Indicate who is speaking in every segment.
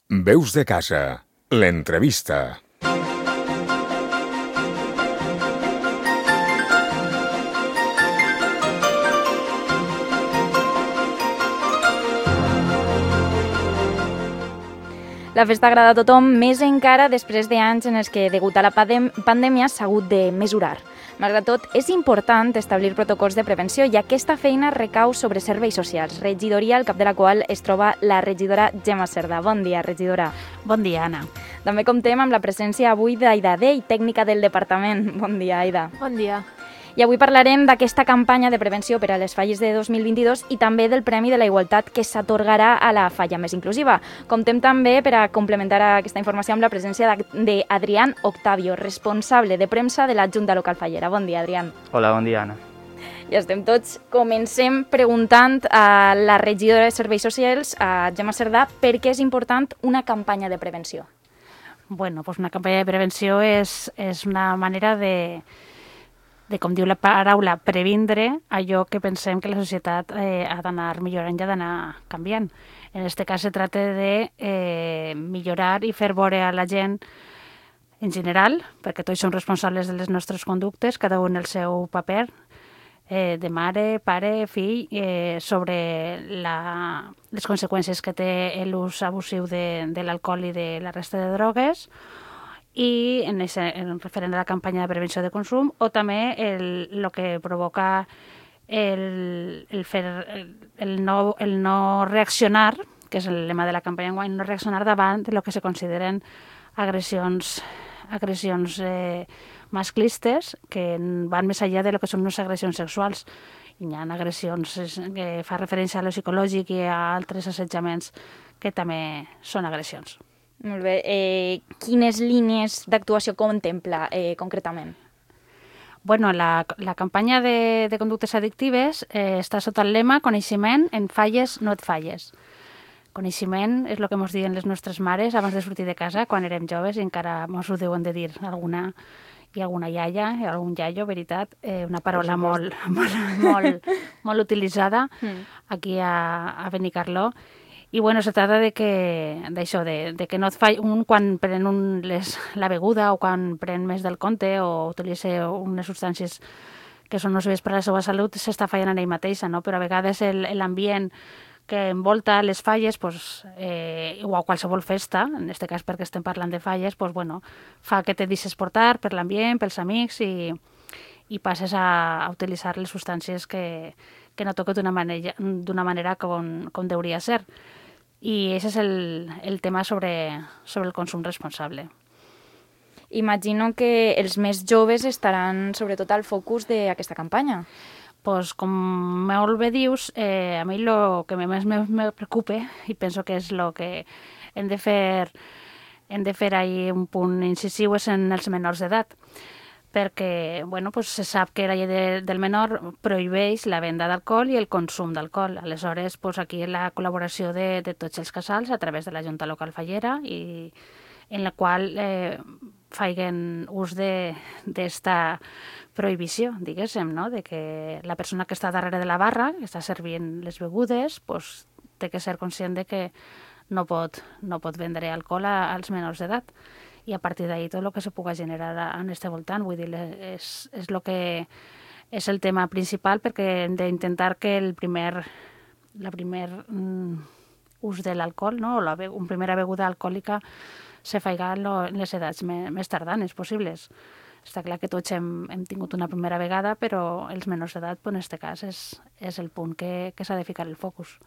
Speaker 1: Veus de casa, l'entrevista.
Speaker 2: La festa agrada a tothom, més encara després d'anys en els que, degut a la pandèmia, s'ha hagut de mesurar. Malgrat tot, és important establir protocols de prevenció i aquesta feina recau sobre serveis socials, regidoria al cap de la qual es troba la regidora Gemma Cerdà. Bon dia, regidora.
Speaker 3: Bon dia, Anna.
Speaker 2: També comptem amb la presència avui d'Aida Dei, tècnica del departament. Bon dia, Aida.
Speaker 4: Bon dia.
Speaker 2: I avui parlarem d'aquesta campanya de prevenció per a les falles de 2022 i també del Premi de la Igualtat que s'atorgarà a la falla més inclusiva. Comptem també, per a complementar aquesta informació, amb la presència d'Adrián Octavio, responsable de premsa de la Junta Local Fallera. Bon dia, Adrián.
Speaker 5: Hola, bon dia, Anna.
Speaker 2: Ja estem tots. Comencem preguntant a la regidora de Serveis Socials, a Gemma Cerdà, per què és important una campanya de prevenció.
Speaker 3: Bueno, pues una campanya de prevenció és una manera de, com diu la paraula, previndre allò que pensem que la societat ha d'anar millorant i ha d'anar canviant. En aquest cas se tracta de millorar i fer veure a la gent en general, perquè tots som responsables de les nostres conductes, cada un el seu paper, de mare, pare, fill, sobre les conseqüències que té l'ús abusiu de l'alcohol i de la resta de drogues, i en referent a la campanya de prevenció de consum, o també el que provoca el no reaccionar, que és el lema de la campanya enguany, no reaccionar davant de lo que se consideren agressions masclistes que van més enllà de lo que són unes agressions sexuals. Hi ha agressions que fa referència a lo psicològic i a altres assetjaments que també són agressions.
Speaker 2: Molt bé. Quines línies d'actuació contempla concretament?
Speaker 3: Bueno, la campanya de conductes addictives està sota el lema Coneixement, en falles no et falles. Coneixement és el que ens diuen les nostres mares abans de sortir de casa quan érem joves i encara ens ho deuen de dir alguna iaia i algun iaio, veritat, una paraula molt utilitzada aquí a Benicarló. I bueno, se trata d'això, de que no et falli quan pren la beguda o quan pren més del compte o utilitza unes substàncies que són nocives per a la seva salut, s'està fallant en ell mateixa, no? Però a vegades l'ambient que envolta les falles, o a qualsevol festa, en aquest cas perquè estem parlant de falles, fa que te deixes portar per l'ambient, pels amics i passes a utilitzar les substàncies que no toca d'una manera com deuria ser. I aquest és el tema sobre el consum responsable.
Speaker 2: Imagino que els més joves estaran sobretot al focus d'aquesta campanya.
Speaker 3: Pues, com molt bé dius, a mi el que més me preocupa, i penso que és el que hem de fer ahí un punt incisiu, és en els menors d'edat, perquè se sap que la llei del menor prohibeix la venda d'alcohol i el consum d'alcohol. Aleshores, aquí la col·laboració de tots els casals a través de la Junta Local Fallera, i en la qual feien ús d'esta prohibició, diguéssim, no? De que la persona que està darrere de la barra, que està servint les begudes, té que ser conscient de que no pot vendre alcohol als menors d'edat. I a partir d'ahí tot el que se pugui generar en este voltant, vull dir, és el que és el tema principal, perquè hem d'intentar que la primer ús de l'alcohol, no? O una primera beguda alcohòlica se faiga en les edats més tardanes possibles. Està clar que tots hem tingut una primera vegada, però els menors d'edat, en aquest cas, és el punt que s'ha de ficar el focus.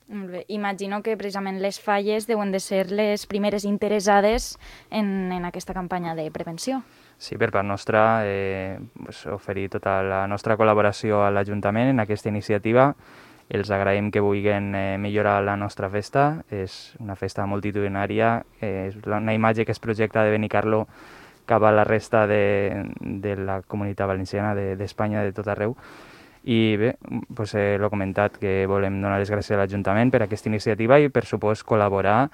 Speaker 2: Molt bé. Imagino que precisament les falles deuen de ser les primeres interessades en aquesta campanya de prevenció.
Speaker 5: Sí, per part nostra, oferir tota la nostra col·laboració a l'Ajuntament en aquesta iniciativa. Els agraïm que vulguin millorar la nostra festa. És una festa multitudinària, és una imatge que es projecta de Benicarló cap a la resta de la comunitat valenciana, d'Espanya, de tot arreu. I bé, l'he comentat que volem donar les gràcies a l'Ajuntament per aquesta iniciativa i, per supost, col·laborar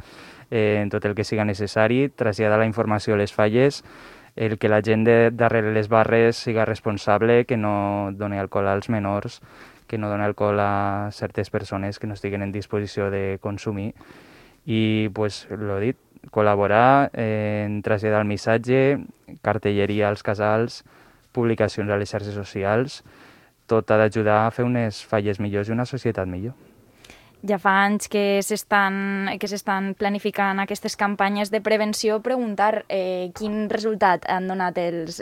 Speaker 5: en tot el que siga necessari, traslladar la informació a les falles, el que la gent darrere les barres siga responsable, que no doni alcohol als menors, que no doni alcohol a certes persones que no estiguen en disposició de consumir I, pues, lo dit, col·laborar en traslladar el missatge, cartelleria als casals, publicacions a les xarxes socials, tot ha d'ajudar a fer unes falles millors i una societat millor.
Speaker 2: Ja fa anys que s'estan planificant aquestes campanyes de prevenció. Preguntar quin resultat han donat els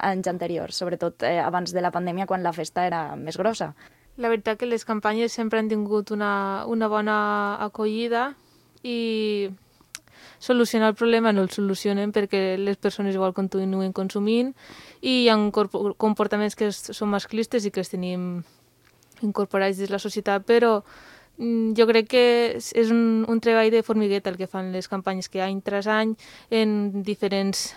Speaker 2: anys anteriors, sobretot abans de la pandèmia, quan la festa era més grossa.
Speaker 4: La veritat que les campanyes sempre han tingut una bona acollida i solucionar el problema no el solucionen perquè les persones igual continuen consumint i hi ha comportaments que són masclistes i que els tenim incorporats dins la societat, però jo crec que és un treball de formigueta el que fan les campanyes, que any tras any en diferents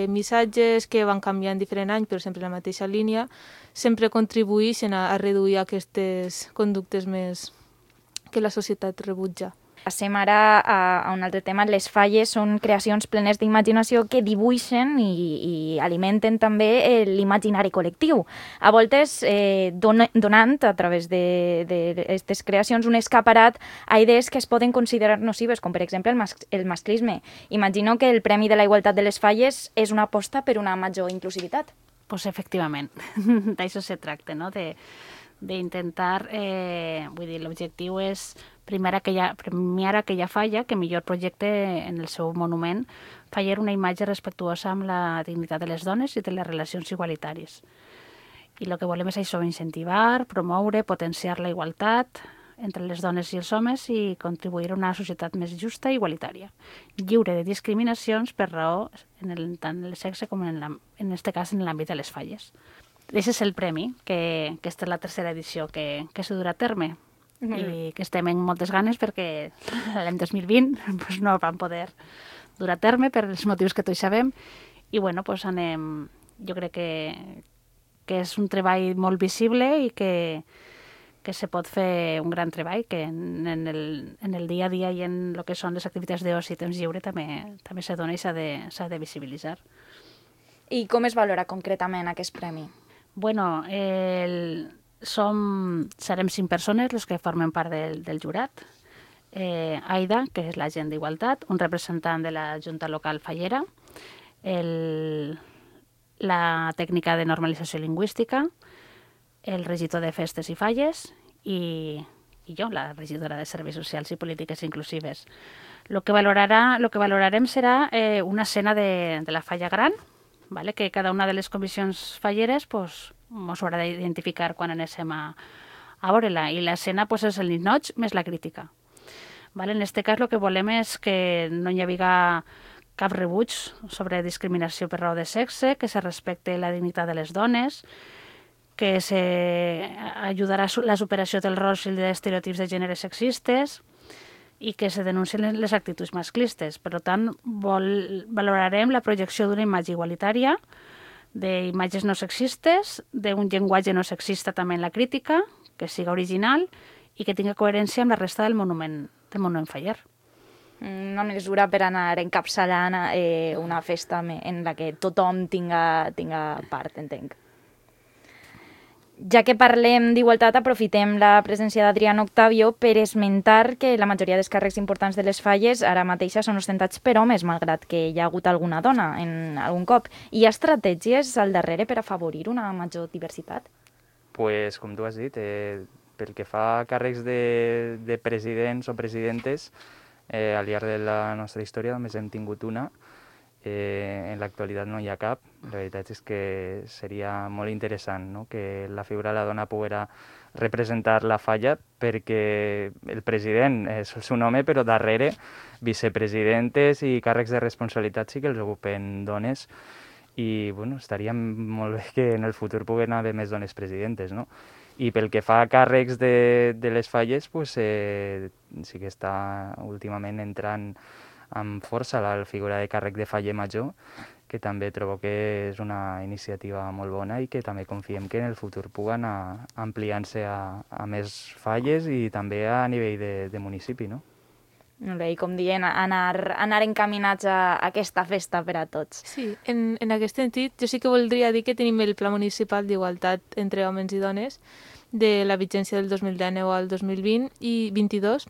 Speaker 4: missatges que van canviant diferent any, però sempre en la mateixa línia, sempre contribueixen a reduir aquestes conductes més que la societat rebutja.
Speaker 2: Passem ara a un altre tema. Les falles són creacions plenes d'imaginació que dibuixen i alimenten també l'imaginari col·lectiu. A voltes donant, a través d'aquestes creacions, un escaparat a idees que es poden considerar nocives, com per exemple el masclisme. Imagino que el Premi de la Igualtat de les Falles és una aposta per una major inclusivitat.
Speaker 3: Pues efectivament, d'això se tracta, no? D'intentar, vull dir, l'objectiu és premiar aquella falla que millor projecte en el seu monument fallar una imatge respectuosa amb la dignitat de les dones i de les relacions igualitàries. I el que volem és això, incentivar, promoure, potenciar la igualtat entre les dones i els homes i contribuir a una societat més justa i igualitària, lliure de discriminacions per raó tant en el sexe com en aquest cas en l'àmbit de les falles. Aquest és el premi, que aquesta és la tercera edició que s'ha durat a terme i que estem en moltes ganes perquè l'any 2020 pues, no van poder durar a terme per els motius que tots sabem i bueno, pues anem, jo crec que és un treball molt visible i que se pot fer un gran treball, que en el dia a dia i en el que són les activitats d'oci i temps lliure també se dona i s'ha de visibilitzar.
Speaker 2: I com es valora concretament aquest premi?
Speaker 3: Bueno, serem 5 persones les que formen part del jurat. Aida, que és l'agent d'Igualtat, un representant de la Junta Local Fallera, la tècnica de normalització lingüística, el regidor de festes i falles i jo, la regidora de Serveis Socials i Polítiques Inclusives. Lo que valorarem serà una escena de la falla gran, vale? Que cada una de les comissions falleres mos haurà d'identificar quan anéssim a veure-la. I l'escena és el ninoig més la crítica. Vale? En aquest cas el que volem és que no hi hagi cap rebuig sobre discriminació per raó de sexe, que se respecte la dignitat de les dones, que ajudarà a la superació dels rols i dels estereotips de gènere sexistes i que se denuncien les actituds masclistes. Per tant, valorarem la projecció d'una imatge igualitària, d'imatges no sexistes, d'un llenguatge no sexista també en la crítica, que siga original i que tingui coherència amb la resta del monument faller.
Speaker 2: Una mesura per anar encapçalant una festa en la que tothom tinga part, entenc. Ja que parlem d'igualtat, aprofitem la presència d'Adrián Octavio per esmentar que la majoria dels càrrecs importants de les falles ara mateixa són ostentats per homes, malgrat que hi ha hagut alguna dona en algun cop. Hi ha estratègies al darrere per afavorir una major diversitat?
Speaker 5: Pues, com tu has dit, pel que fa a càrrecs de presidents o presidentes, al llarg de la nostra història només hem tingut una. En l'actualitat no hi ha cap. La veritat és que seria molt interessant, no? Que la figura de la dona poguera representar la falla, perquè el president és un home, però darrere vicepresidentes i càrrecs de responsabilitat sí que els ocupen dones i bueno, estaria molt bé que en el futur puguen haver més dones presidentes, no? I pel que fa a càrrecs de les falles, pues, sí que està últimament entrant amb força la figura de càrrec de faller major, que també trobo que és una iniciativa molt bona i que també confiem que en el futur pugui anar ampliant-se a més falles i també a nivell de municipi, no?
Speaker 2: Molt bé, i com dient, anar encaminats a aquesta festa per a tots.
Speaker 4: Sí, en aquest sentit, jo sí que voldria dir que tenim el Pla Municipal d'Igualtat entre homes i dones de la vigència del 2019 al 2020 i 22,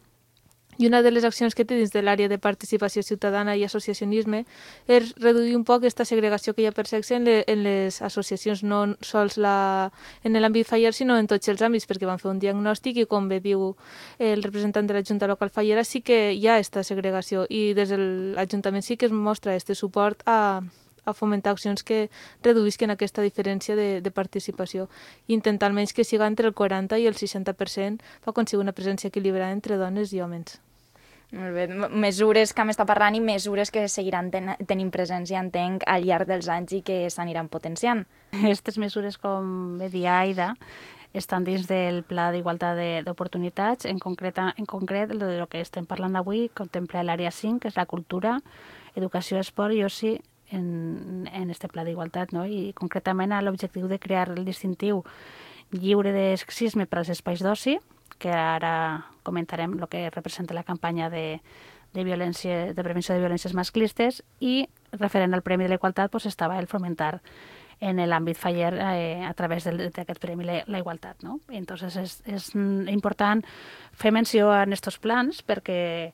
Speaker 4: I una de les accions que té dins de l'àrea de participació ciutadana i associacionisme és reduir un poc aquesta segregació que hi ha per sexe en les associacions, no sols en l'àmbit Faller, sinó en tots els àmbits, perquè van fer un diagnòstic i, com bé diu el representant de la Junta Local Fallera, sí que hi ha aquesta segregació i des de l'Ajuntament sí que es mostra este suport a fomentar accions que reduïsquen aquesta diferència de participació i intentar almenys que siga entre el 40 i el 60% per aconseguir una presència equilibrada entre dones i homes.
Speaker 2: Molt bé. Mesures que m'està parlant i mesures que seguiran tenint presència, entenc, al llarg dels anys i que s'aniran potenciant.
Speaker 3: Aquestes mesures, com bé dia Aida, estan dins del Pla d'Igualtat d'Oportunitats. En concret, el que estem parlant avui contempla l'àrea 5, que és la cultura, educació, esport i oci, en este pla d'igualtat, no? I concretament a l'objectiu de crear el distintiu lliure de sexisme per als espais d'oci, que ara comentarem el que representa la campanya de prevenció de violències masclistes, i referent al Premi de la Igualtat pues, estava el fomentar en l'àmbit Faller a través d'aquest Premi la Igualtat. No? Entonces és important fer menció en aquests plans perquè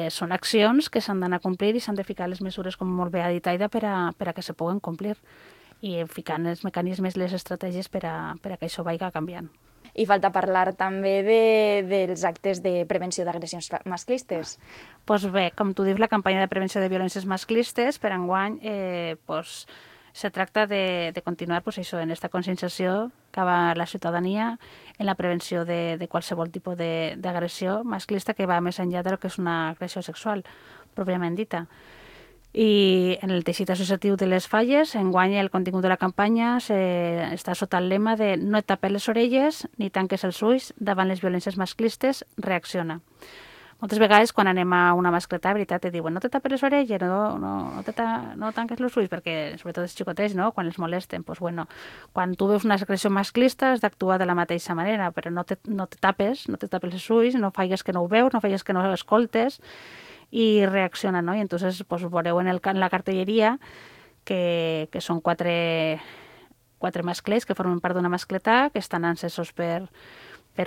Speaker 3: són accions que s'han d'anar a complir i s'han de ficar les mesures, com molt bé ha dit Aida, per a que se puguen complir i ficant els mecanismes, les estratègies per a que això vagi canviant.
Speaker 2: I falta parlar també dels actes de prevenció d'agressions masclistes.
Speaker 3: Doncs bé, com tu dius, la campanya de prevenció de violències masclistes per enguany se tracta de continuar això, en aquesta conscienciació cap a la ciutadania en la prevenció de qualsevol tipus d'agressió masclista que va més enllà del que és una agressió sexual, pròpiament dita. I en el teixit associatiu de les Falles, enguany el contingut de la campanya està sota el lema de no et tapes les orelles ni tanques els ulls davant les violències masclistes, reacciona. Moltes vegades quan anem a una mascleta, veritat, te diuen no te tapes les orelles, no tanques els ulls, perquè sobretot els xicotets, no? Quan els molesten, doncs bueno, quan tu veus una agressió masclista has d'actuar de la mateixa manera, però no te tapes els ulls, no faigues que no ho veus, no faigues que no ho escoltes, i reacciona, no? I entonces pues, veureu en la cartelleria que són quatre masclets que formen part d'una mascleta, que estan encesos per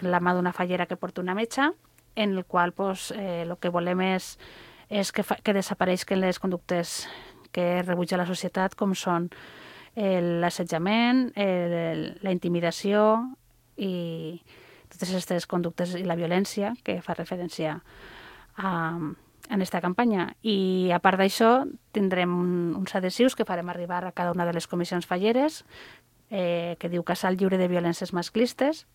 Speaker 3: la mà d'una fallera que porta una metxa, en el qual pues, el que volem és que desapareixen les conductes que rebutja la societat, com són l'assetjament, la intimidació i totes aquestes conductes i la violència que fa referència en aquesta campanya. I a part d'això tindrem uns adhesius que farem arribar a cada una de les comissions falleres que diu Casal lliure de violències masclistes,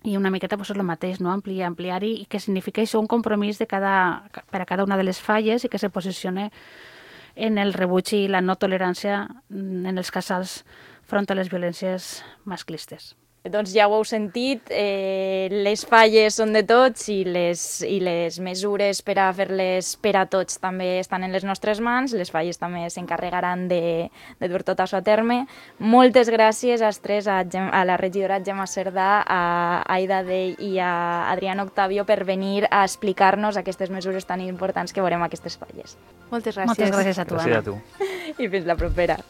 Speaker 3: i una miqueta pues, és el mateix, no? Ampliar-hi, i que significa això un compromís per a cada una de les falles i que se posicione en el rebuig i la no tolerància en els casals front a les violències masclistes.
Speaker 2: Doncs ja ho heu sentit, les falles són de tots i les mesures per a fer-les per a tots també estan en les nostres mans. Les falles també s'encarregaran de dur tot això a terme. Moltes gràcies als tres, a la regidora Gemma Cerdà, a Aida Dell i a Adrián Octavio per venir a explicar-nos aquestes mesures tan importants que veurem a aquestes falles.
Speaker 4: Moltes gràcies.
Speaker 3: Moltes gràcies a tu,
Speaker 5: Gràcies
Speaker 3: Anna.
Speaker 5: a tu.
Speaker 2: I fins la propera.